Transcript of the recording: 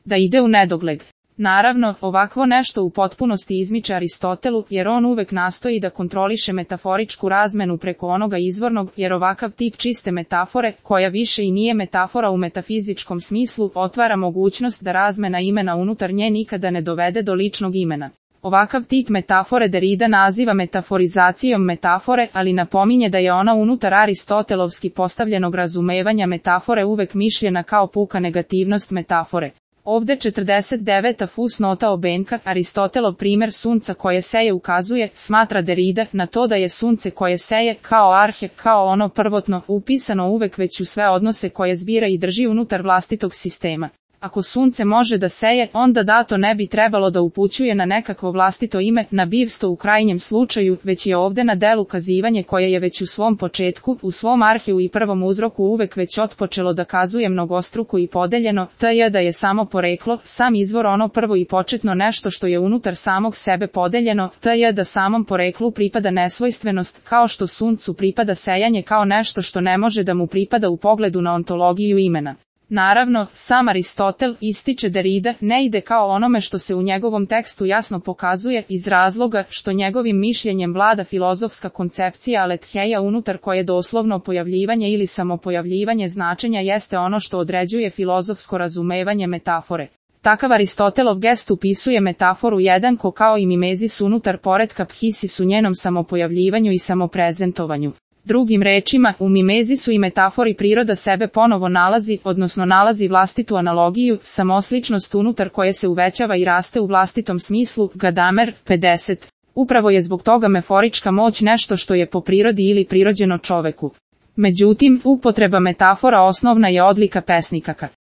da ide u nedogled. Naravno, ovakvo nešto u potpunosti izmiče Aristotelu, jer on uvek nastoji da kontroliše metaforičku razmenu preko onoga izvornog, jer ovakav tip čiste metafore, koja više i nije metafora u metafizičkom smislu, otvara mogućnost da razmena imena unutar nje nikada ne dovede do ličnog imena. Ovakav tip metafore Derrida naziva metaforizacijom metafore, ali napominje da je ona unutar aristotelovski postavljenog razumevanja metafore uvek mišljena kao puka negativnost metafore. Ovde 49. fusnota obenka, Aristotelov primer sunca koje seje ukazuje, smatra Derrida, na to da je sunce koje seje, kao arhe, kao ono prvotno, upisano uvek već u sve odnose koje zbira i drži unutar vlastitog sistema. Ako sunce može da seje, onda dato ne bi trebalo da upućuje na nekakvo vlastito ime, na bivstvo u krajnjem slučaju, već je ovde na delu kazivanje koje je već u svom početku, u svom arheu i prvom uzroku uvek već otpočelo da kazuje mnogostruko i podeljeno, t.j. da je samo poreklo, sam izvor ono prvo i početno nešto što je unutar samog sebe podeljeno, t.j. da samom poreklu pripada nesvojstvenost, kao što suncu pripada sejanje kao nešto što ne može da mu pripada u pogledu na ontologiju imena. Naravno, sam Aristotel, ističe Derrida, ne ide kao onome što se u njegovom tekstu jasno pokazuje, iz razloga što njegovim mišljenjem vlada filozofska koncepcija aletheia unutar koje doslovno pojavljivanje ili samopojavljivanje značenja jeste ono što određuje filozofsko razumevanje metafore. Takav Aristotelov gest upisuje metaforu jednako kao i mimezis unutar poretka phisis u njenom samopojavljivanju i samoprezentovanju. Drugim rečima, u mimezisu i metafori priroda sebe ponovo nalazi, odnosno nalazi vlastitu analogiju, samosličnost unutar koje se uvećava i raste u vlastitom smislu, Gadamer, 50. Upravo je zbog toga meforička moć nešto što je po prirodi ili prirođeno čoveku. Međutim, upotreba metafora osnovna je odlika pesnikaka.